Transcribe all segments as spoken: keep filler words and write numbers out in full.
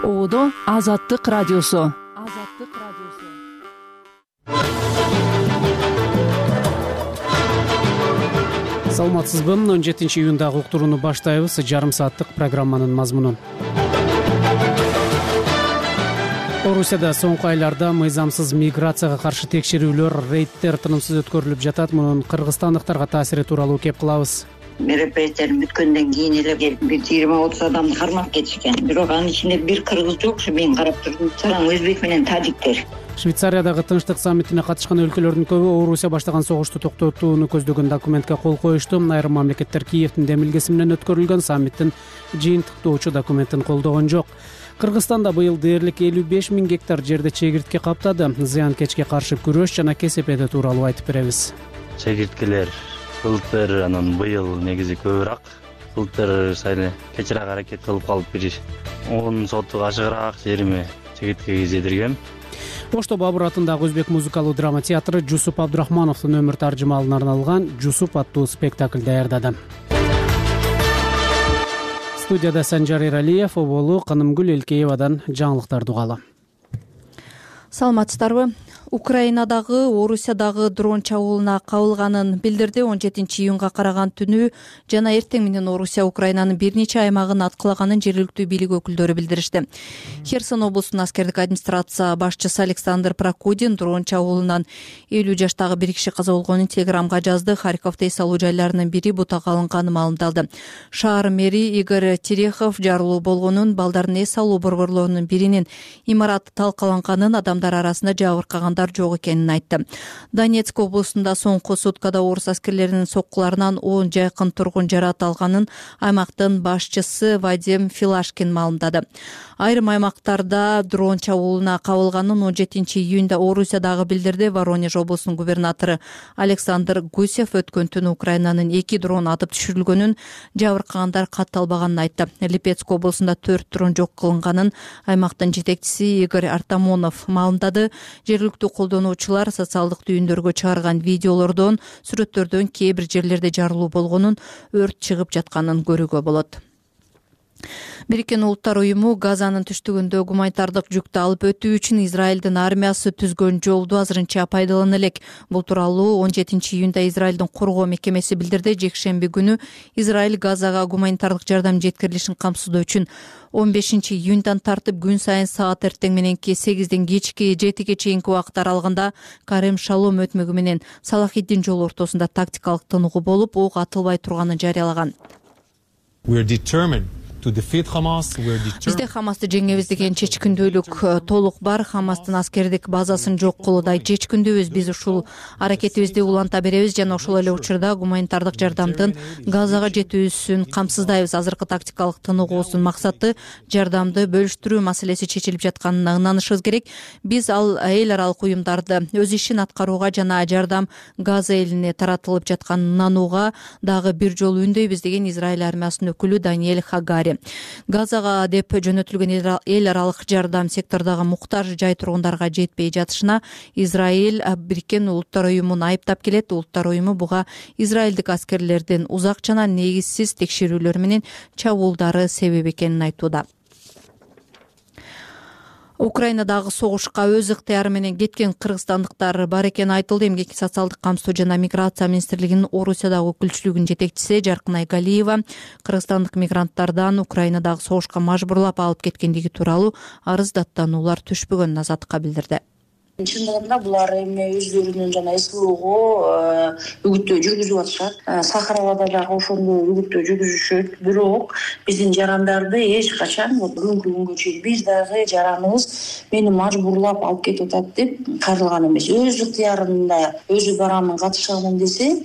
Оодо Азаттык радиосу. Азаттык радиосу. Саламатсызбы? он жетинчи июндагы уктурууну баштайбыз. Жарым сааттык программанын мазмунун. Орусияда соңку айларда мыйзамсыз миграцияга каршы текшерүүлөр, рейдтер тынымсыз өткөрүлүп жатат. Мунун кыргызстандыктарга таасири тууралуу кеп кылабыз. Мероприятиялар бүткөндөн кийин эле келип бир жыйырма отуз адамды кармап кетишкен. Бирок анын ичинде бир кыргыз жок. Ушу мен карап турдум. Саран өзбек менен тажиктер. Швейцариядагы тынчтык саммитине катышкан өлкөлөрдүн көбү Орусия баштаган согушту токтотууну көздөгөн документке кол коюшту. Айрым мамлекеттер Киевдин демилгеси менен өткөрүлгөн саммиттин жыйынтыктоочу документин колдогон жок. Кыргызстанда быйыл дээрлик элүү беш миң гектар жерде чегиртке каптады. Зыянкечке каршы күрөш жана КСП тууралуу айтып беребиз. Чегирткелер былтыр анан быйыл негизи көбүрөөк. Былтыр сайын кечирээк аракет кылып калып бир он сотук ашыгыраак жериме чегиртке кездиргем. Ошто Бабур атындагы өзбек музыкалуу драма театры Жусуп Абдрахмановдун өмүр таржымалына арналган Жусуп аттуу спектакль даярдады. Студияда Санжар Эралиев, Оболу Канымгүл Элкеевадан жаңылыктарды угалы. Саламатсыздарбы? Украинадагы Орусиядагы дрон чабуулуна кабылганын билдирди. он жетинчи июнга караган түнү жана эртең менен Орусия Украинанын бир нече аймагын аткылаганын жергиликтүү бийлик өкүлдөрү билдиришти. Херсон облусунун аскердик администрация башчысы Александр Прокудин дрон чабуулунан элүү жаштагы бир киши каза болгонун Телеграмга жазды. Харьковдо эс алуу жайларынын бири бутакка алынганы маалымдалды. Шаар мэри Игорь Терехов жарылуу болгонун, балдардын эс алуу борборлорунун биринин имараты талкаланганын, адамдар арасында жабыркагандар жок экенин айтты. Донецк облусунда соңку суткада орус аскерлеринин соккуларынан он жакын тургун жаракат алганын аймактын башчысы Вадим Филашкин маалымдады. Айрым аймактарда дрон чабуулуна кабылганын он жетинчи июнда Орусиядагы билдирди. Воронеж облусунун губернатору Александр Гусев өткөн түнү Украинанын эки дрон атып түшүрүлгөнүн, жабыркагандар катталбаганын айтты. Липецк облусунда төрт дрон жок кылынганын аймактын жетекчиси Игорь Артамонов маалымдады. Жергиликтүү колдонуучулар социалдык түйүндөргө чыгарган видеолордон, сүрөттөрдөн кээ бир жерлерде жарылуу болгонун, өрт чыгып жатканын көрүүгө болот. Бириккен Улуттар уюму Газанын түштүгүндө гуманитардык жүктү алып өтүү үчүн Израилдин армиясы түзгөн жолду азырынча пайдалана элек. Бул тууралуу он жетинчи июнда Израилдин коргоо мекемеси билдирди. Жекшемби күнү Израиль Газага гуманитардык жардам жеткирилишин камсыздоо үчүн он бешинчи июндан тартып күн сайын саат эртең мененки сегизден кечки жетиге чейинки убакыт аралыгында Карем Шалом өтмөгү менен Салахиддин жолу ортосунда тактикалык тыныгуу болуп, ок атылбай турганын жарыялаган. Бизде Хамасты жеңебиз деген чечкиндүүлүк толук бар. Хамастын аскердик базасын жок кылуудай чечкиндүүбүз. Биз ушул аракетибизди уланта беребиз жана ошол эле учурда гуманитардык жардамдын Газага жетүүсүн камсыздайбыз. Азыркы тактикалык тыныгуусунун максаты жардамды бөлүштүрүү маселеси чечилип жатканына ынанышыбыз керек. Биз ал эл аралык уюмдарды өз ишин аткарууга жана жардам Газа элине таратылып жатканына ынанууга дагы бир жолу үндөйбүз деген Израиль армиясынын өкүлү Даниэль Хагари. Газага деп жөнөтүлгөн эл аралык жардам сектордогу муктаж жай тургундарга жетпей жатышына Израиль Бириккен Улуттар уюмун айыптап келет. Улуттар уюму буга израилдик аскерлердин узак жана негизсиз текшерүүлөр менен чабуулдары себеп экенин айтууда. Украинадагы согушка өз ыктыяры менен кеткен кыргызстандыктар бар экени айтылды. Эмгек социалдык камсоо жана миграция министрлигинин Орусиядагы өкүлчүлүгүнүн жетекчиси Жаркынай Галиева кыргызстандык мигранттардан Украинадагы согушка мажбурлап алып кеткендиги тууралуу арыз даттануулар түшпөгөнүн Азаттыкка билдирди. Чындыгында булар эми өздөрүнүн жана СВОго үгүттөө жүргүзүп атышат. Сахаралада дагы ошондой үгүттөө жүргүзүшөт. Бирок биздин жарандарды эч качан бүгүнкү күнгө чейин биз дагы жараныбыз мени мажбурлап алып кетип атат деп кайрылган эмес. Өз ыктыярында өзү барамын, катышамын десе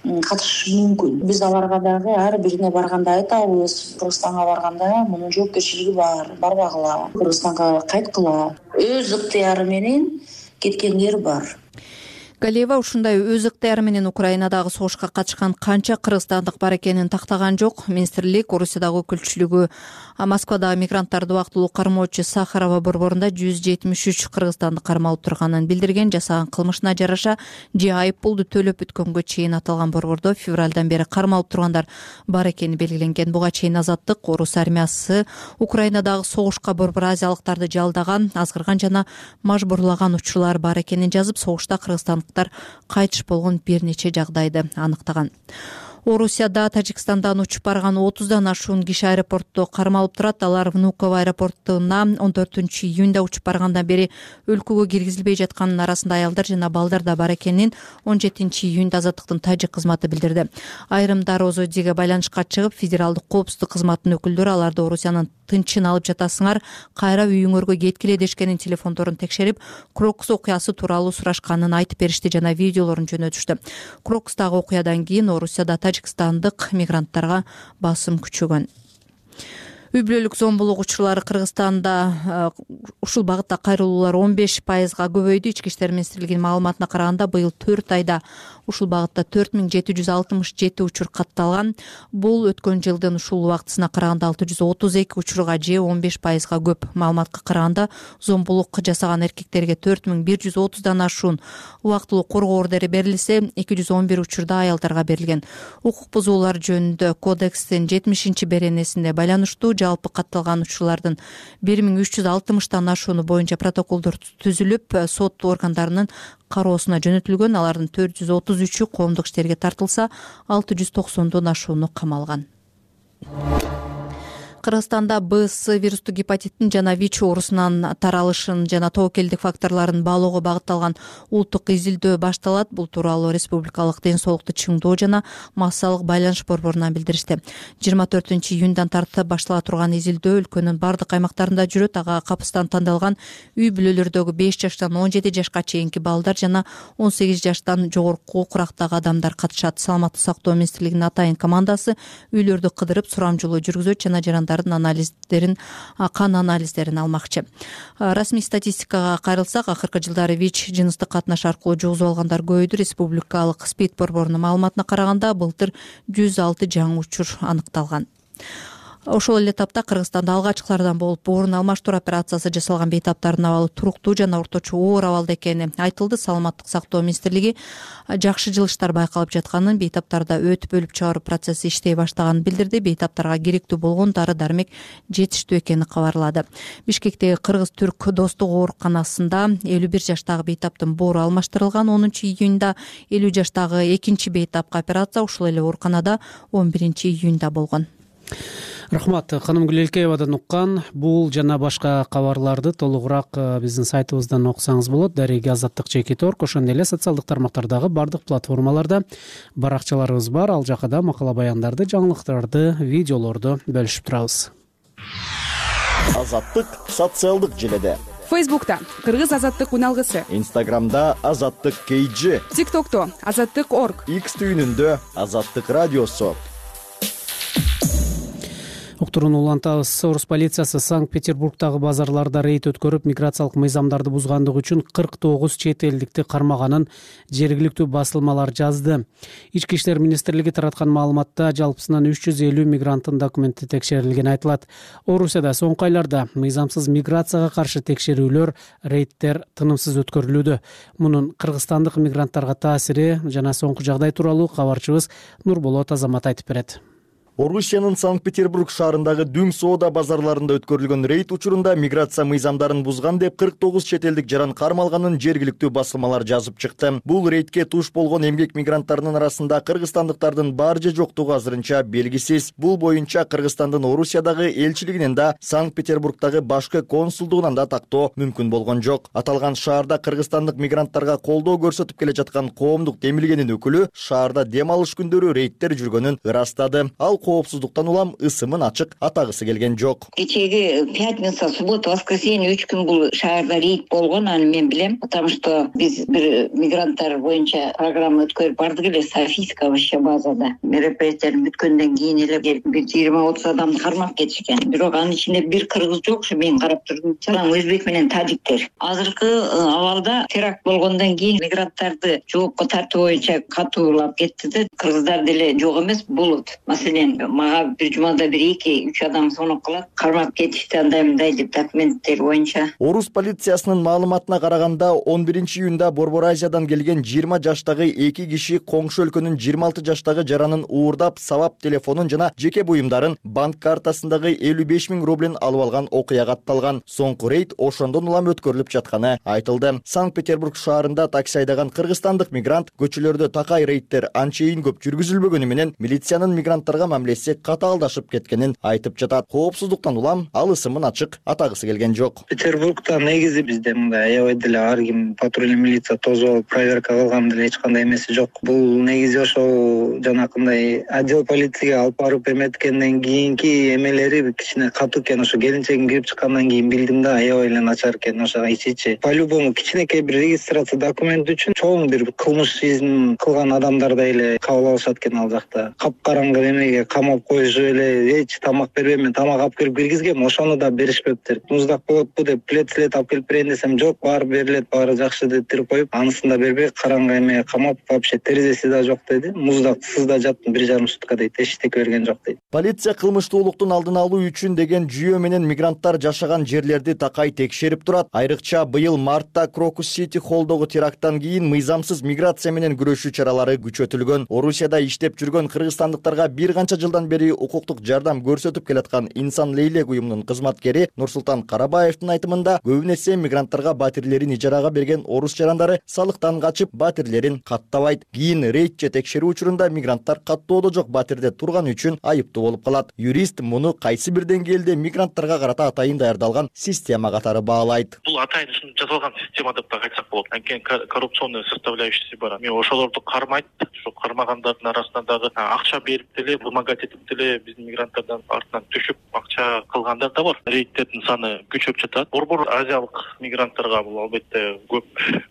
катышышы мүмкүн. Биз аларга дагы ар бирине барганда айтабыз, Кыргызстанга барганда мунун жоопкерчилиги бар, барбагыла, Кыргызстанга кайткыла. Өз ыктыяры менен кеткендер бар. Галиева ушундай өз ыктыяры менен Украинадагы согушка катышкан канча кыргызстандык бар экенин тактаган жок. Министрлик Орусиядагы өкүлчүлүгү Москвадагы мигранттарды убактылуу кармоочу Сахарова борборунда жүз жетимиш үч кыргызстанды кармалып турганын билдирген. Жасаган кылмышына жараша же айып пулду төлөп бүткөнгө чейин аталган борбордо февралдан бери кармалып тургандар бар экени белгиленген. Буга чейин Азаттык орус армиясы Украинадагы согушка борбор азиялыктарды жалдаган, азгырган жана мажбурлаган учурлар бар экенин жазып, согушта кыргызстандыктар кайтыш болгон бир нече жагдайды аныктаган. Орусияда Тажикстандан учуп барган отуздан ашуун киши аэропортто кармалып турат. Алар Внуково аэропортуна он төртүнчү июнда учуп баргандан бери өлкөгө киргизилбей жатканын арасында аялдар жана балдар да бар экенин он жетинчи июнда Азаттыктын тажик кызматы билдирди. Айрымдар Озодиге байланышка чыгып, федералдык коопсуздук кызматынын өкүлдөрү аларды Орусиянын тынчын алып жатасыңар, кайра үйүңөргө кеткиле дешкенин телефондорун текшерип, Крокус окуясы тууралуу сурашканын айтып беришти жана видеолорун жөнөтүштү. Крокустагы окуядан кийин Орусияда тажикстандык мигранттарга басым күчөгөн. Үй бүлөлүк зомбулук учурлары Кыргызстанда ушул багытта кайрылуулар он беш пайызга көбөйдү. Ички иштер министрлигинин маалыматына караганда, быйыл төрт айда ушул багытта төрт миң жети жүз алтымыш жети учур катталган. Бул өткөн жылдын ушул убактысына караганда алты жүз отуз эки учурга же он беш пайызга көп. Маалыматка караганда, зомбулук жасаган эркектерге төрт миң бир жүз отуздан ашуун убактылуу коргоо ордери берилсе, эки жүз он бир учурда аялдарга берилген. Укук бузуулар жөнүндө кодекстин жетимишинчи беренесинде байланыштуу жалпы катталган учурлардын бир миң үч жүз алтымыштан ашууну боюнча протоколдор түзүлүп, сот органдарынын кароосуна жөнөтүлгөн. Алардын төрт жүз отуз үчү коомдук иштерге тартылса, алты жүз токсондон ашууну камалган. Кыргызстанда Б С вирустук гепатиттин жана ВИЧ оорусунан таралышын жана тобокелдик факторлорун баалоого багытталган улуттук изилдөө башталат. Бул тууралуу Республикалык ден соолукту чыңдоо жана массалык байланыш борборунан билдиришти. жыйырма төртүнчү июндан тартып баштала турган изилдөө өлкөнүн бардык аймактарында жүрөт. Ага капыстан тандалган үй бүлөлөрдөгү беш жаштан он жети жашка чейинки балдар жана он сегиз жаштан жогорку курактагы адамдар катышат. Саламаттык сактоо министрлигинин атайын командасы үйлөрдү кыдырып, сурамжылоо жүргүзөт жана жарандардын анализдерин, кан анализдерин алмакчы. Расмий статистикага кайрылсак, акыркы жылдары ВИЧ жыныстык катнаш аркылуу жугузуп алгандар көбөйдү. Республикалык СПИД борборунун маалыматына караганда, былтыр жүз алты жаңы учур аныкталган. Ошол эле тапта Кыргызстанда алгачкылардан болуп орун алмаштыруу операциясы жасалган бейтаптардын абалы туруктуу жана орточо оор абалда экени айтылды. Саламаттык сактоо министрлиги жакшы жылыштар байкалып жатканын, бейтаптарда өт бөлүп чыгаруу процесси иштей баштаганын билдирди. Бейтаптарга керектүү болгон дары-дармек жетиштүү экени кабарлады. Бишкектеги Кыргыз-Түрк достук ооруканасында элүү бир жаштагы бейтаптын боору алмаштырылган. онунчу июнда элүү жаштагы экинчи бейтапка операция ушул эле ооруканада он биринчи июнда болгон. Рахмат. Ханым Гүлелкеевадан уккан бул жана башка кабарларды толугураак биздин сайтыбыздан окусаңыз болот. Дареги Азаттык Чекит орг, ошондой эле социалдык тармактардагы бардык платформаларда баракчаларыбыз бар. Ал жака да макала баяндарды, жаңылыктарды, видеолорду бөлүшүп турабыз. Азаттык социалдык желеде. Фейсбукта Кыргыз азаттык уналгысы, Инстаграмда Азаттык кей джи, ТикТокто Азаттык орг, X түйүнүндө Азаттык радиосу. Уктурууну улантабыз. Орус полициясы Санкт-Петербургдагы базарларда рейд өткөрүп, миграциялык мыйзамдарды бузгандыгы үчүн кырк тогуз чет элдикти кармаганын жергиликтүү басылмалар жазды. Ички иштер министрлиги тараткан маалыматта жалпысынан үч жүз элүү мигранттын документи текшерилгени айтылат. Орусияда соңку айларда мыйзамсыз миграцияга каршы текшерүүлөр, рейдтер тынымсыз өткөрүлүүдө. Мунун кыргызстандык мигранттарга таасири жана соңку жагдай тууралуу кабарчыбыз Нурболот Азамат айтып берет. Орусиянын Санкт-Петербург шаарындагы дүң соода базарларында өткөрүлгөн рейд учурунда миграция мыйзамдарын бузган деп кырк тогуз чет элдик жаран кармалганын жергиликтүү басылмалар жазып чыкты. Бул рейдке туш болгон эмгек мигранттарынын арасында кыргызстандыктардын бар же жоктугу азырынча белгисиз. Бул боюнча Кыргызстандын Орусиядагы элчилигинен да, Санкт-Петербургдагы башкы консулдугунан да тактоо мүмкүн болгон жок. Аталган шаарда кыргызстандык мигранттарга колдоо көрсөтүп келе жаткан коомдук демилгенин өкүлү шаарда дем алыш күндөрү рейдтер жүргөнүн ырастады. Ал коопсуздуктан улам ысымын ачык атагысы келген жок. Кечеги пятница, суббота, воскресенье үч күн бул шаарда рейд болгон, аны мен билем, потому что биз бир мигранттар боюнча программа өткөрүп бардык эле Софийская вообще базада. Мероприятие бүткөндөн кийин эле келип бир жыйырма отуз адамды кармап кетишкен. Бирок анын ичинде бир кыргыз жок, ушу мен карап турдум. Жалаң өзбек менен тажиктер. Азыркы абалда теракт болгондон кийин мигранттарды жоопко тартуу боюнча катуулап кетти да, кыргыздар деле жок эмес болот. Маселен, мага бир жумада бир эки үч адам сонуп калат, кармап кетишти андай мындай деп документтер боюнча. Орус полициясынын маалыматына караганда он биринчи июнда Борбор Азиядан келген жыйырма жаштагы эки киши коңшу өлкөнүн жыйырма алты жаштагы жаранын уурдап, сабап телефонун жана жеке буюмдарын, банк картасындагы элүү беш миң рублин алып алган окуяга атталган. Соңку рейд ошондон улам өткөрүлүп жатканы айтылды. Санкт-Петербург шаарында такси айдаган кыргызстандык мигрант көчөлөрдө такай рейдтер анчейин көп жүргүзүлбөгөнү менен милициянын мигранттарга мамилеси катаалдашып кеткенин айтып жатат. Коопсуздуктан улам ал ысымын ачык атагысы келген жок. Петербургда негизи бизде мындай аябай деле ар ким патрульный милиция тосуп алып проверка кылган деле эч кандай эмеси жок. Бул негизи ошол жанакындай отдел полицияга алып барып эметкенден кийинки эмелери кичине катуу экен. Ошо келинчегим кирип чыккандан кийин билдим да, аябай эле начар экен. Ошо ичи-ичи по-любому кичинекей бир регистрация документ үчүн чоң бир кылмыш ишин кылган адамдардай эле кабыл алышат экен ал жакта. Капкараңгы эмеге камап коюшуп эле эч тамак бербейм, мен тамак алып келип киргизгем, ошону да беришпептир. Муздак болотпу деп плед-след алып келип берейин десем, жок, баары берилет, баары жакшы дептирип коюп, анысын да бербей караңгы эмеге камап, вообще терезеси да жок деди. Муздак сызда жаттым бир жарым сутка дейт, эчтеке берген жок дейт. Полиция кылмыштуулуктун алдын алуу үчүн деген жүйө менен мигранттар жашаган жерлерди такай текшерип турат. Айрыкча быйыл мартта Крокус Сити холлдогу теракттан кийин мыйзамсыз миграция менен күрөшүү чаралары күчөтүлгөн. Орусияда иштеп жүргөн кыргызстандыктарга бир канча жылдан бери укуктук жардам көрсөтүп келаткан Инсан Лейлек уюмунун кызматкери Нурсултан Карабаевдин айтымында, көбүн эсе мигранттарга батирлерин ижарага берген орус жарандары салыктан качып, батирлерин каттабайт. Кийин рейд же текшерүү учурунда мигранттар каттоодо жок батирде турганы үчүн айыптуу болуп калат. Юрист муну кайсы бир деңгээлде мигранттарга карата атайын даярдалган система катары баалайт. Бул атайын жасалган система деп да айтсак болот. Анткени коррупционный составляющийси бар. Мен ошолорду кармайт, ошо кармагандардын арасында дагы акча берип деле, вымогать этип деле биздин мигранттардан артынан түшүп акча кылгандар да бар. Рейдтердин саны күчөп жатат. Борбор азиялык мигранттарга бул албетте көп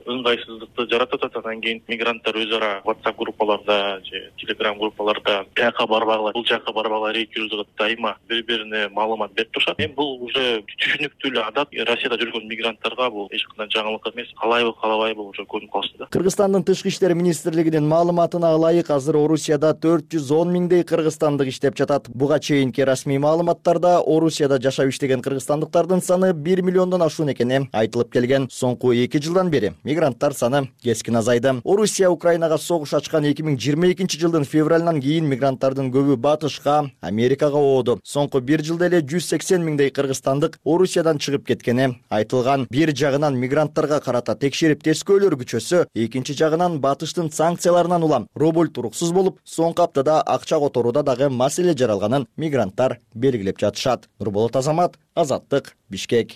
ыңгайсыздыкты жаратат. Андан кийин мигранттар өз ара WhatsApp группаларда же Telegram группаларда бияка барбагыла, бул жака барбагыла рейд жүргүзүп дайыма бири-бирине маалымат берип турушат. Эми бул уже түшүнүктүү эле адат. Россияда жүргөн мигранттарга бул эч кандай жаңылык эмес. Калайбы, калабайбы уже көрүнүп калсын да. Кыргызстандын тышкы иштер министрлигинин маалыматына ылайык, азыр Орусияда төрт жүз он миңдей кыргызстандык иштеп жатат. Буга чейинки расмий маалыматтарда Орусияда жашап иштеген кыргызстандыктардын саны бир миллиондон ашуун экени айтылып келген. Соңку эки жылдан бери мигранттар саны кескин азайды. Орусия Украинага согуш ачкан эки миң жыйырма экинчи жылдын февралынан кийин мигранттардын көбү батышка, Америкага ооду. Соңку бир жылда эле жүз сексен миңдей кыргызстандык Орусиядан чыгып кеткени айтылган. Бир жагынан мигранттарга карата текшерип тескөөлөр күчөсө, экинчи жагынан батыштын санкцияларынан улам рубль туруксуз болуп, соңку аптада акча которууда дагы маселе жаралганын мигранттар белгилеп жатышат. Нурболот Азамат, Азаттык, Бишкек.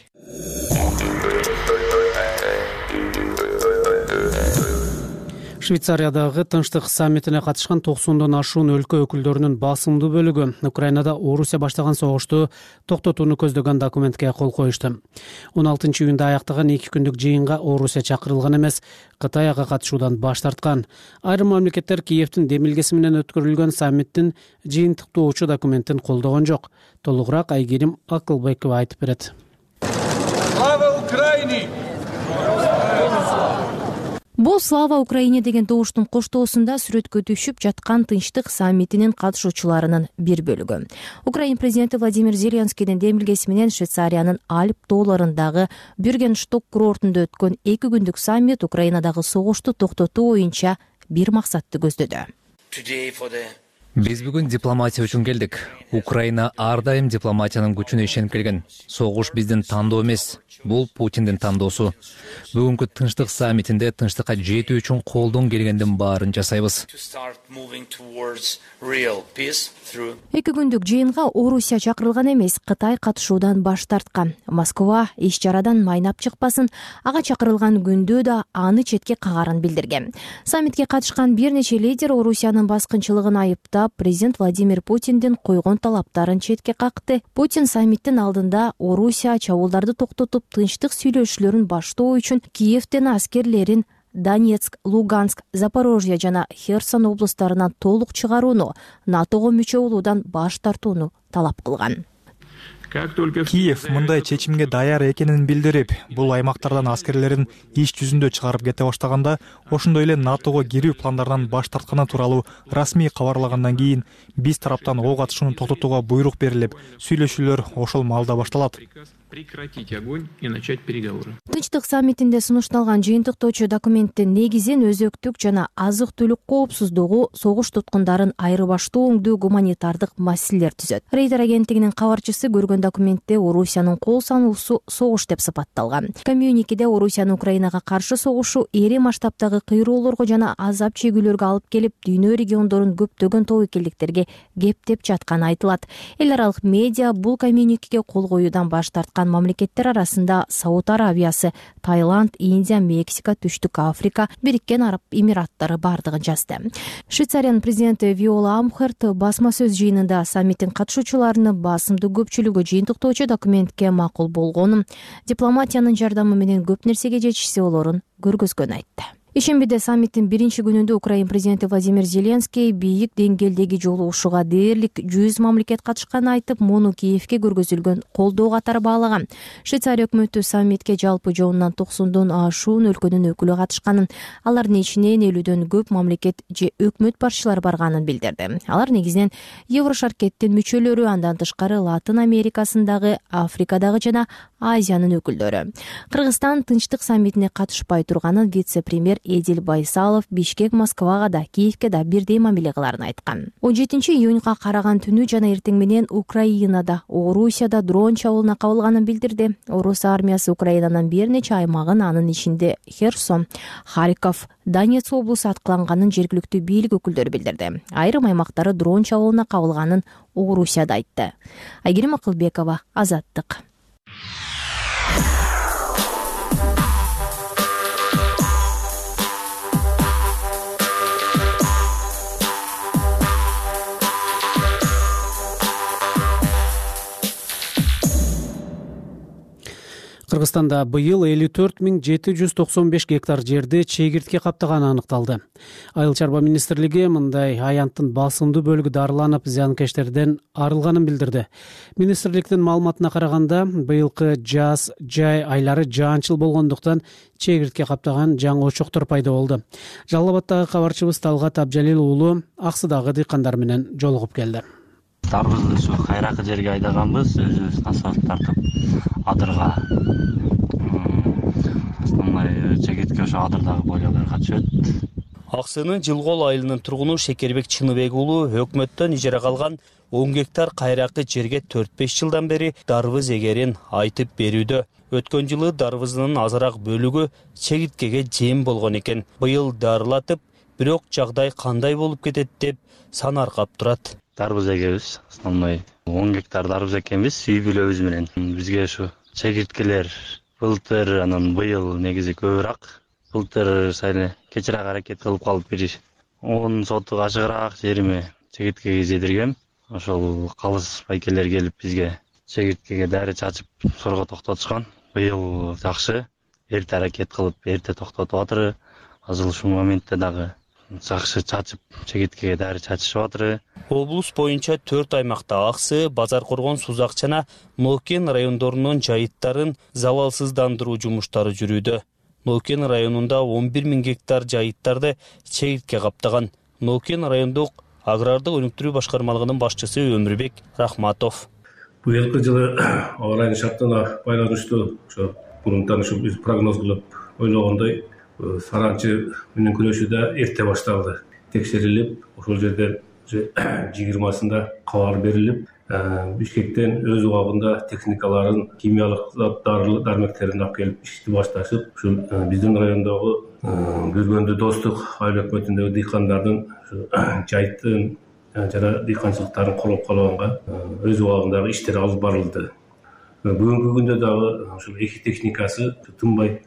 Швейцариядагы тынчтык саммитине катышкан токсондон ашуун өлкө өкүлдөрүнүн басымдуу бөлүгү Украинада Орусия баштаган согушту токтотууну көздөгөн документке кол коюшту. он алтынчы июнда аяктаган эки күндүк жыйынга Орусия чакырылган эмес, Кытай ага катышуудан баш тарткан. Айрым мамлекеттер Киевдин демилгеси менен өткөрүлгөн саммиттин жыйынтыктоочу документин колдогон жок. Толугураак Айгерим Акылбекова айтып берет. Слава Украине! Бул «Слава Украине» деген добуштун коштоосунда сүрөткө түшүп жаткан тынчтык саммитинин катышуучуларынын бир бөлүгү. Украин президенти Владимир Зеленскийдин демилгеси менен Швейцариянын Альп тоолорундагы Бюргеншток курортунда өткөн эки күндүк саммит Украинадагы согушту токтотуу боюнча бир максатты көздөдү. Биз бүгүн дипломатия үчүн келдик. Украина ар дайым дипломатиянын күчүнө ишенип келген. Согуш биздин тандоо эмес, бул Путиндин тандоосу. Бүгүнкү тынчтык саммитинде тынчтыкка жетүү үчүн колдон келгендин баарын жасайбыз. Эки күндүк жыйынга Орусия чакырылган эмес, Кытай катышуудан баш тарткан. Москва иш чарадан майнап чыкпасын, ага чакырылган күндө да аны четке кагарын билдирген. Саммитке катышкан бир нече лидер Орусиянын баскынчылыгын айыптап, урап, президент Владимир Путиндин койгон талаптарын четке какты. Путин саммиттин алдында Орусия чабуулдарды токтотуп, тынчтык сүйлөшүүлөрүн баштоо үчүн Киевден аскерлерин Донецк, Луганск, Запорожье жана Херсон облустарынан толук чыгарууну, НАТОго мүчө болуудан баш тартууну талап кылган. Киев мындай чечимге даяр экенин билдирип, бул аймактардан аскерлерин иш жүзүндө чыгарып кете баштаганда, ошондой эле НАТОго кирүү пландарынан баш тартканы тууралуу расмий кабарлагандан кийин биз тараптан ок атышууну токтотууга буйрук берилип, сүйлөшүүлөр ошол маалда башталат. Прекратить огонь и начать переговоры. Тынчтык саммитинде сунушталган жыйынтыктоочу документтин негизин өзөктүк жана азык-түлүк коопсуздугу, согуш туткундарын айырбаштоо өңдүү гуманитардык маселелер түзөт. Рейтер агенттигинин кабарчысы көргөн документте Орусиянын кол сануусу согуш деп сыпатталган. Коммюникеде Орусиянын Украинага каршы согушу эре масштабтагы кыйроолорго жана азап чегүүлөргө алып келип, дүйнө региондорун көптөгөн тобокелдиктерге кептеп жатканы айтылат. Эл аралык медиа бул коммюникеге кол коюудан баш тарткан мамлекеттер арасында Сауд Арабиясы, Таиланд, Индия, Мексика, Түштүк Африка, Бириккен Араб Эмираттары бардыгын жазды. Швейцариянын президенти Виола Амхерт басма сөз жыйынында саммиттин катышуучуларынын басымдуу көпчүлүгү жыйынтыктоочу документке макул болгонун, дипломатиянын жардамы менен көп нерсеге жетишсе болорун көргөзгөнүн айтты. Ишембиде саммиттин биринчи күнүндө Украин президенти Владимир Зеленский бийик деңгээлдеги жолугушууга дээрлик жүз мамлекет катышканын айтып, муну Киевке көргөзүлгөн колдоо катары баалаган. Швейцария өкмөтү саммитке жалпы жоонунан токсондон ашуун өлкөнүн өкүлү катышканын, алардын ичинен элүүдөн көп мамлекет же өкмөт башчылары барганын билдирди. Алар негизинен Еврошаркеттин мүчөлөрү, андан тышкары Латын Америкасындагы, Африкадагы жана Азиянын өкүлдөрү. Кыргызстан тынчтык саммитине катышпай турганын вице-премьер Эдил Байсалов Бишкек, Москвага да, Киевке да бирдей мамиле кыларын айткан. он жетинчи июнга караган түнү жана эртең менен Украинада, Орусияда дрон чабуулуна кабылганын билдирди. Орус армиясы Украинанын бир нече аймагын, анын ичинде Херсон, Харьков, Донецк облусу аткыланганын жергиликтүү бийлик өкүлдөрү билдирди. Айрым аймактары дрон чабуулуна кабылганын Орусияда айтты. Айгерим Акылбекова, Азаттык. Кыргызстанда быйыл элүү төрт миң жети жүз токсон беш гектар жерди чегиртке каптаганы аныкталды. Айыл чарба министрлиги мындай аянттын басымдуу бөлүгү дарыланып, зыянкечтерден арылганын билдирди. Министрликтин маалыматына караганда, быйылкы жаз жай айлары жаанчыл болгондуктан чегиртке каптаган жаңы очоктор пайда болду. Жалал Абаддагы кабарчыбыз Талгат Абжалил уулу Аксыдагы дыйкандар менен жолугуп келди. Дарбызды ушу кайракы жерге айдаганбыз, өзүбүз асфальт тартып адырга. Основной чегиртке ошо адырдагы бойлоолорго түшөт. Аксынын Жылгол айылынын тургуну Шекербек Чыныбек уулу өкмөттөн ижарага алган он гектар кайракы жерге төрт беш жылдан бери дарбыз эгерин айтып берүүдө. Өткөн жылы дарбызынын азыраак бөлүгү чегирткеге жем болгон экен. Быйыл дарылатып, бирок жагдай кандай болуп кетет деп санаркап турат. Дарбыз эгебиз, основной он гектар дарбыз экенбиз, үй бүлөбүз менен. Бизге ушу чегирткелер былтыр, анан быйыл негизи көбүрөөк. Былтыр сайын кечирээк аракет кылып калып бир он сотук ашыгыраак жериме чегирткеге зедиргем. Ошол калыс байкелер келип бизге чегирткеге дары чачып сорго токтотушкан. Быйыл жакшы, эрте аракет кылып, эрте токтотуп атыр. Азыр ушул моментте дагы жакшы чачып, чегирткеге дары чачышып атыр. Облус боюнча төрт аймакта Аксы, Базар Коргон, Сузак жана Нокен райондорунун жайыттарын залалсыздандыруу жумуштары жүрүүдө. Нокен районунда он бир миң гектар жайыттарды чегиртке каптаган. Нокен райондук агрардык өнүктүрүү башкармалыгынын башчысы Өмүрбек Рахматов. Быйылкы жылы аба ырайынын шартына байланыштуу ошо мурунтан ушу биз прогноз кылып ойлогондой саранчы менен күрөшүү да эрте башталды. Текшерилип, ошол жерде жыйырмасында кабар берилип, Бишкектен өз убагында техникаларын, химиялык дармектерин алып келип ишти башташып, ушул биздин райондогу көргөндө достук айыл өкмөтүндөгү дыйкандардын жайыттын жана дыйканчылыктарын колоп калганга өз убагындагы иштер алып барылды. Бүгүнкү күндө дагы ушул эки техникасы тынбай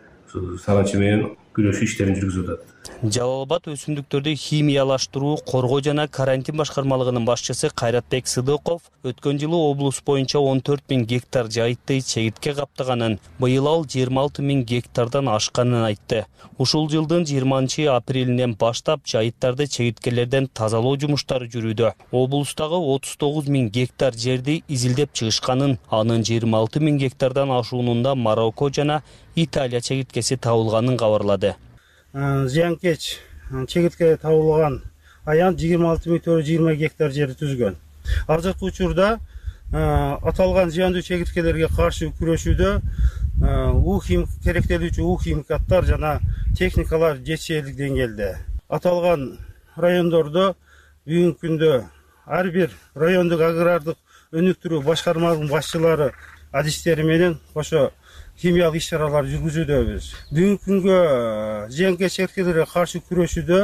саранчы менен күрөшүү иштерин жүргүзүп атат. Жалал Абад өсүмдүктөрдү химиялаштыруу, коргоо жана карантин башкармалыгынын башчысы Кайратбек Сыдыков өткөн жылы облус боюнча он төрт миң гектар жайытты чегиртке каптаганын, быйыл ал жыйырма алты миң гектардан ашканын айтты. Ушул жылдын жыйырманчы апрелинен баштап жайыттарды чегирткелерден тазалоо жумуштары жүрүүдө. Облустагы отуз тогуз миң гектар жерди изилдеп чыгышканын, анын жыйырма алты миң гектардан ашуунунда Марокко жана Италия чегирткеси табылганын кабарлады. Зыянкеч чегиртке табылган аян жыйырма алты миң төрт жүз жыйырма гектар жерди түзгөн. Азыркы учурда аталган зыяндуу чегирткелерге каршы күрөшүүдө ухим керектелүүчү ухимикаттар жана техникалар жетишерлик деңгээлде. Аталган райондордо бүгүнкү күндө ар бир райондук агрардык өнүктүрүү башкармалыгынын башчылары адистери менен кошо химиялык иш-чаралар жүргүзүүдөбүз. Бүгүнкү күнгө зыянкеч чегирткелерге каршы күрөшүүдө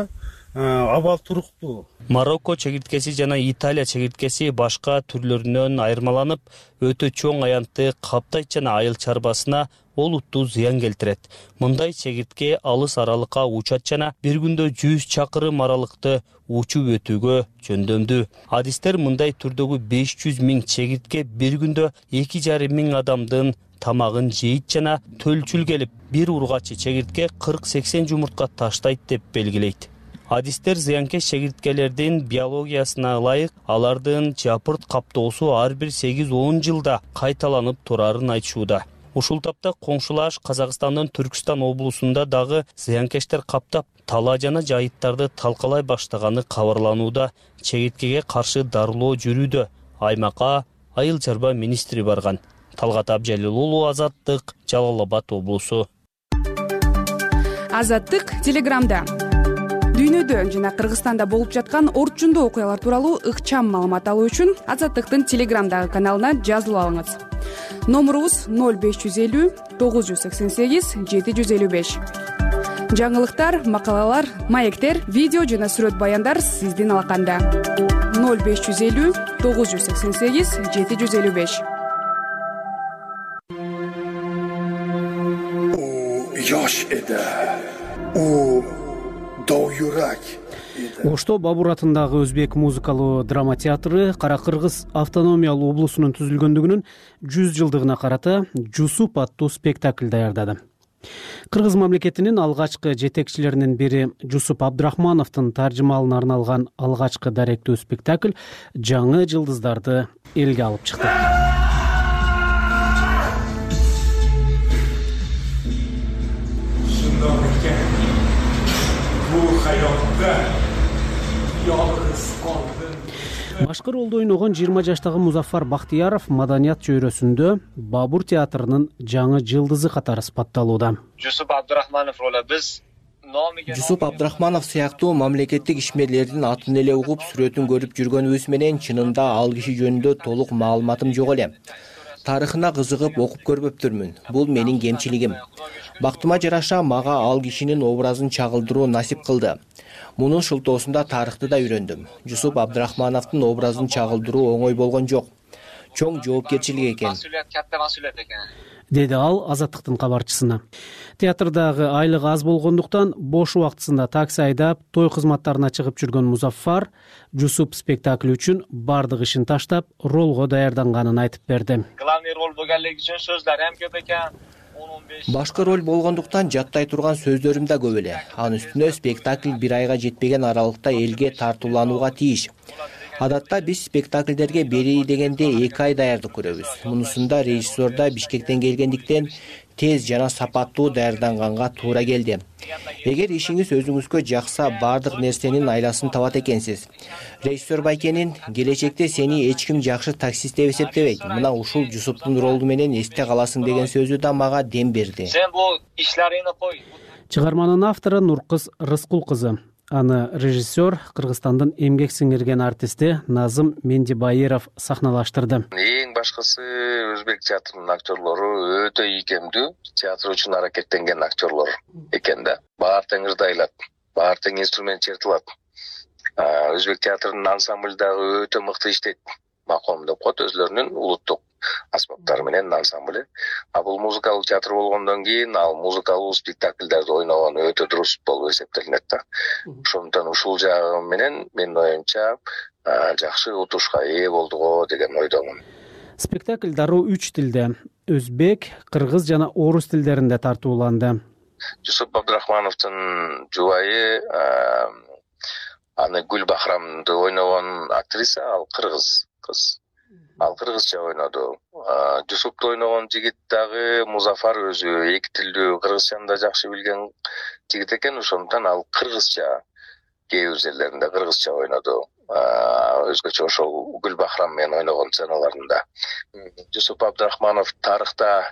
абал туруктуу. Марокко чегирткеси жана Италия чегирткеси башка түрлөрүнөн айырмаланып, өтө чоң аянтты каптайт жана айыл чарбасына олуттуу зыян келтирет. Мындай чегиртке алыс аралыкка учат жана бир күндө жүз чакырым аралыкты учуп өтүүгө жөндөмдүү. Адистер мындай түрдөгү беш жүз миң чегиртке бир күндө эки жарым миң адамдын тамагын жейт жана төлчүл келип, бир ургачы чегиртке кырк сексен жумуртка таштайт деп белгилейт. Адистер зыянкеч чегирткелердин биологиясына ылайык алардын жапырт каптоосу ар бир сегиз он жылда кайталанып турарын айтышууда. Ушул тапта коңшулаш Казакстандын Түркстан облусунда дагы зыянкечтер каптап, тала жана жайыттарды талкалай баштаганы кабарланууда. Чегирткеге каршы дарылоо жүрүүдө. Аймакка айыл чарба министри барган. Талгат Абжалил уулу, Азаттык, Жалал Абад облусу. Азаттык Телеграмда. Дүйнөдө жана Кыргызстанда болуп жаткан орчундуу окуялар тууралуу ыкчам маалымат алуу үчүн Азаттыктын Телеграмдагы каналына жазылып алыңыз. Номурубуз ноль беш жүз элүү тогуз жүз сексен сегиз жети жүз элүү беш. Жаңылыктар, макалалар, маектер, видео жана сүрөт баяндар сиздин алаканда. ноль беш жүз элүү тогуз жүз сексен сегиз жети жүз элүү беш. Yosh edi. U dovyurak. Ошто Бабур атындагы Өзбек музыкалуу драма театры Кара Кыргыз автономиялуу облусунун түзүлгөндүгүнүн жүз жылдыгына карата Жусуп аттуу спектакль даярдады. Кыргыз мамлекетинин алгачкы жетекчилеринин бири Жусуп Абдрахмановдун таржымалына арналган алгачкы даректүү спектакль жаңы жылдыздарды элге алып чыкты. Башкы ролду ойногон жыйырма жаштагы Музафар Бактыяров маданият чөйрөсүндө Бабур театрынын жаңы жылдызы катары сыпатталууда. Жусуп Абдрахманов ролу биз Жусуп Абдрахманов сыяктуу мамлекеттик ишмерлердин атын эле угуп сүрөтүн көрүп жүргөнүбүз менен чынында ал киши жөнүндө толук маалыматым жок эле. Тарыхына кызыгып окуп көрбөптүрмүн. Бул менин кемчилигим. Бактыма жараша мага ал кишинин образын чагылдыруу насип кылды. Мунун шылтоосунда тарыхты да үйрөндүм. Жусуп Абдрахмановдун образын чагылдыруу оңой болгон жок. Чоң жоопкерчилик экен. Катта масулият экен. Деди ал Азаттыктын кабарчысына. Театрдагы айлыгы аз болгондуктан бош убактысында такси айдап, той кызматтарына чыгып жүргөн Музаффар Жусуп спектакли үчүн бардык ишин таштап, ролго даярданганын айтып берди. Главный роль болгонлугу үчүн сөздөр эм көп экен. Башкы роль болгондуктан жаттай турган сөздөрүм да көп эле. Анын үстүнө спектакль бир айга жетпеген аралыкта элге тартууланууга тийиш. Адатта биз спектакльдерге бери дегенде эки ай даярдык көрөбүз. Мунусунда режиссер да Бишкектен келгендиктен тез жана сапаттуу даярданганга туура келди. Эгер ишиңиз өзүңүзгө жакса, бардык нерсенин айласын табат экенсиз. Режиссер Байкенин келечекте сени эч ким жакшы таксист деп эсептебейт. Мына ушул Жусуптун ролу менен эсте каласың деген сөзү да мага дем берди. Сен бул ишларыңды кой. Чыгарманын автору Нуркыз Рыскул кызы. Аны режиссер Кыргызстандын эмгек сиңирген артисти Назым Мендибайыров сахналаштырды. Эң башкысы өзбек театрынын актерлору өтө ийкемдүү, театр үчүн аракеттенген актерлор экен да. Баары тең ырдайлат, баары тең инструмент чертилат. Өзбек театрынын ансамбль дагы өтө мыкты иштейт. Маком деп коет өзлөрүнүн улуттук аспаптары менен ансамбль. А бул музыкалык театр болгондон кийин ал музыкалуу спектакльдерди ойногон өтө дурус болуп эсептелинет да. Ошондуктан ушул жагы менен менин оюмча жакшы утушка ээ болдуго деген ойдомун. Спектакль дароо үч тилде — өзбек, кыргыз жана орус тилдеринде тартууланды. Жусуп Абдрахмановдун жубайы аны Гүл Бахрамды ойногон актриса, ал кыргыз кыз. Ал кыргызча ойноду. Жусупты ойногон жигит дагы Музафар өзү эки тилдүү кыргызчаны да жакшы билген жигит экен, ошондуктан ал кыргызча кээ бир жерлеринде кыргызча ойноду. Өзгөчө ошол Гүл Бахрам менен ойногон сценаларында. Жусуп Абдрахманов тарыхта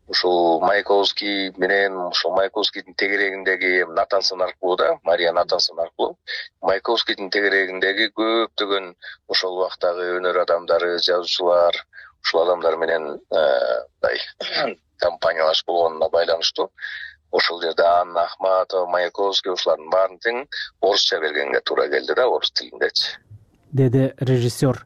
ушул Маяковский менен ушул Маяковскийдин тегерегиндеги Натансон аркылуу да, Мария Натансон аркылуу Маяковскийдин тегерегиндеги көптөгөн ошол убактагы өнөр адамдары, жазуучулар, ушул адамдар менен мындай компаниялашып болгонуна байланыштуу. Ошол жерде Анна Ахматова, Маяковский ушулардын баарын тең орусча бергенге туура келди да, орус тилиндечи, деди режиссер.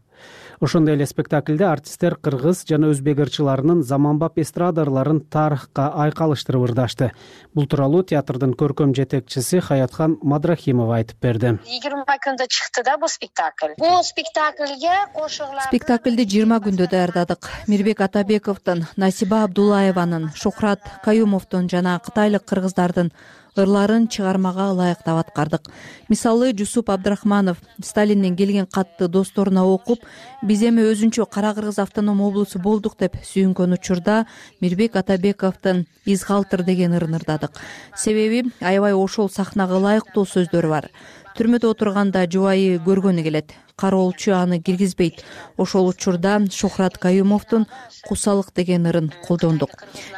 Ошондой эле спектакльде артисттер кыргыз жана өзбек ырчыларынын заманбап эстрадаларын тарыхка айкалыштырып ырдашты. Бул тууралуу театрдын көркөм жетекчиси Хаятхан Мадрахимова айтып берди. жыйырма күндө чыкты да бул спектакль. Бул спектакльге кошугулар. Спектакльди жыйырма күндө даярдадык. Мирбек Атабековдун, Насиба Абдулаеванын, Шухрат Каюмовдун жана кытайлык кыргыздардын ырларын чыгармага ылайыктап аткардык. Мисалы, Жусуп Абдрахманов Сталинден келген катты досторуна окуп, биз эми өзүнчө Кара Кыргыз автоном облусу болдук деп сүйүнгөн учурда Мирбек Атабековдун Изгалтыр деген ырын ырдадык. Себеби аябай ошол сахнага ылайыктуу сөздөрү бар. Түрмөдө отурганда жубайы көргөнү келет. Кароолчу аны киргизбейт. Ошол учурда Шухрат Каюмовдун Кусалык деген ырын колдондук.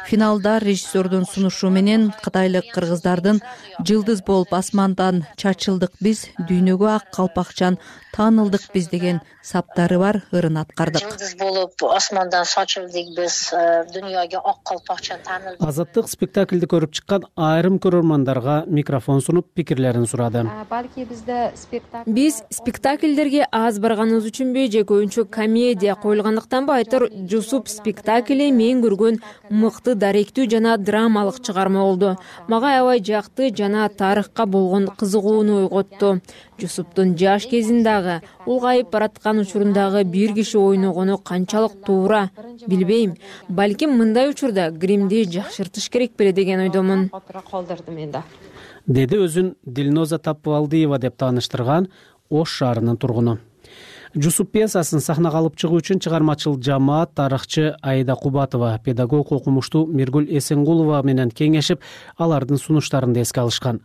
Финалда режиссердун сунушу менен кытайлык кыргыздардын жылдыз болуп асмандан чачылдык биз, дүйнөгө ак калпакчан таанылдык биз деген саптары бар ырын аткардык. Жылдыз болуп асмандан чачылдык биз, дүйнөгө ак калпакчан таанылдык. Азаттык спектакльди көрүп чыккан айрым көрөрмандарга микрофон сунуп пикирлерин сурады. Балки бизде спектакль Биз спектакльдерге аз барганыбыз үчүнбү же көбүнчө комедия коюлгандыктанбы айтор, Жусуп спектакли мен көргөн мыкты даректүү жана драмалык чыгарма болду. Мага аябай жакты жана тарыхка болгон кызыгууну ойготту. Жусуптун жаш кезиндагы улгайып бараткан учурундагы бир киши ойногону канчалык туура билбейм. Балким мындай учурда гримди жакшыртыш керек беле деген ойдомун. Деди өзүн Дилноза Таппыбалдиева деп тааныштырган Ош шаарынын тургуну. Жусуп пьесасын сахнага алып чыгуу үчүн чыгармачыл жамаат тарыхчы Айда Кубатова, педагог окумуштуу Миргүл Эсенгулова менен кеңешип, алардын сунуштарын эске алышкан.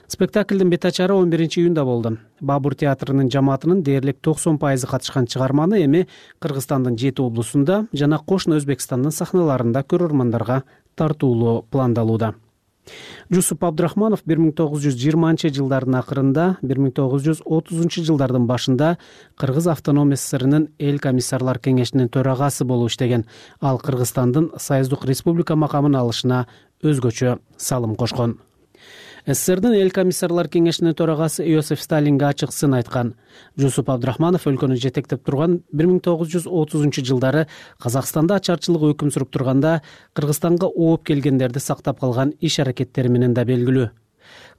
Спектаклдин бет ачары он биринчи июнда болду. Бабур театрынын жамаатынын дээрлик токсон пайызы катышкан чыгарманы эми Кыргызстандын жети облусунда жана кошуна Өзбекстандын сахналарында көрөрмандарга тартуулоо пландалууда. Жусуп Абдрахманов бир миң тогуз жүз жыйырманчы жылдардын акырында, бир миң тогуз жүз отузунчу жылдардын башында Кыргыз автоном СССРынын эл комиссарлар кеңешинин төрагасы болуп иштеген. Ал Кыргызстандын Союздук республика макамын алышына өзгөчө салым кошкон. СССРдин эл комиссарлар кеңешинин төрагасы Иосиф Сталинге ачык сын айткан. Жусуп Абдрахманов өлкөнү жетектеп турган бир миң тогуз жүз отузунчу жылдары Казакстанда ачарчылык өкүм сүрүп турганда Кыргызстанга ооп келгендерди сактап калган иш аракеттери менен да белгилүү.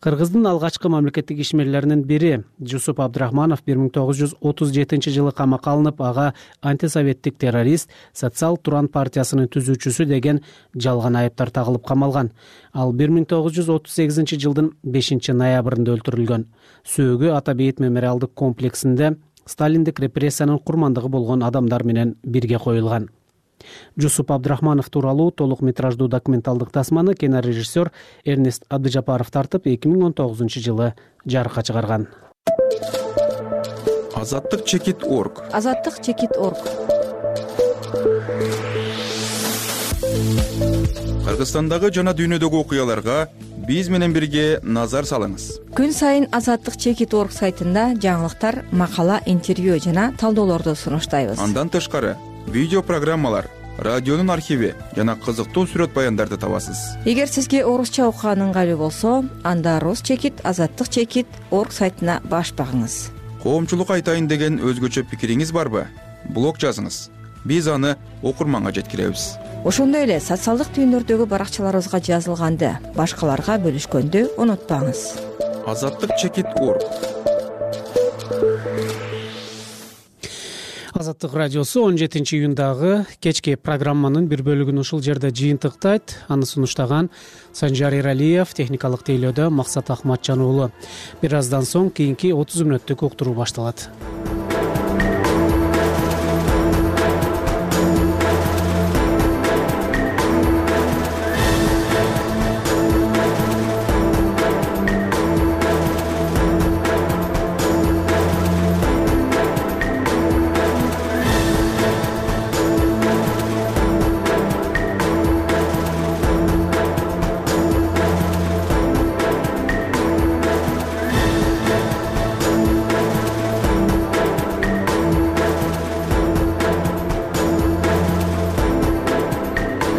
Кыргыздын алгачкы мамлекеттик ишмерлеринин бири Жусуп Абдрахманов бир миң тогуз жүз отуз жетинчи жылы камакка алынып, ага антисоветтик террорист, Социал Туран партиясынын түзүүчүсү деген жалган айыптар тагылып камалган. Ал бир миң тогуз жүз отуз сегизинчи жылдын бешинчи ноябрында өлтүрүлгөн. Сөөгү Ата Бейит мемориалдык комплексинде сталиндик репрессиянын курмандыгы болгон адамдар менен бирге коюлган. Жусуп Абдрахманов тууралуу толук метраждуу документалдык тасманы кинорежиссер Эрнест Абдыжапаров тартып эки миң он тогузунчу жылы жарыкка чыгарган. Азаттык чекит орг. Азаттык чекит орг. Кыргызстандагы жана дүйнөдөгү окуяларга биз менен бирге назар салыңыз. Күн сайын Азаттык чекит орг сайтында жаңылыктар, макала, интервью жана талдоолорду сунуштайбыз. Андан тышкары видео программалар, радионун архиви жана кызыктуу сүрөт баяндарды табасыз. Эгер сизге орусча окуган ыңгайлуу болсо, анда Рус чекит, Азаттык чекит орг сайтына баш багыңыз. Коомчулук айтайын деген өзгөчө пикириңиз барбы? Блог жазыңыз. биз аны окурманга жеткиребиз. Ошондой эле социалдык түйүндөрдөгү баракчаларыбызга жазылганды башкаларга бөлүшкөндү унутпаңыз. Азаттык чекит орг. Азаттык радиосу он жетинчи июндагы кечки программанын бир бөлүгүн ушул жерде жыйынтыктайт. Аны сунуштаган Санжар Эралиев, техникалык тейлөөдө Максат Ахматжан уулу. Бир аздан соң кийинки отуз мүнөттүк уктуруу башталат.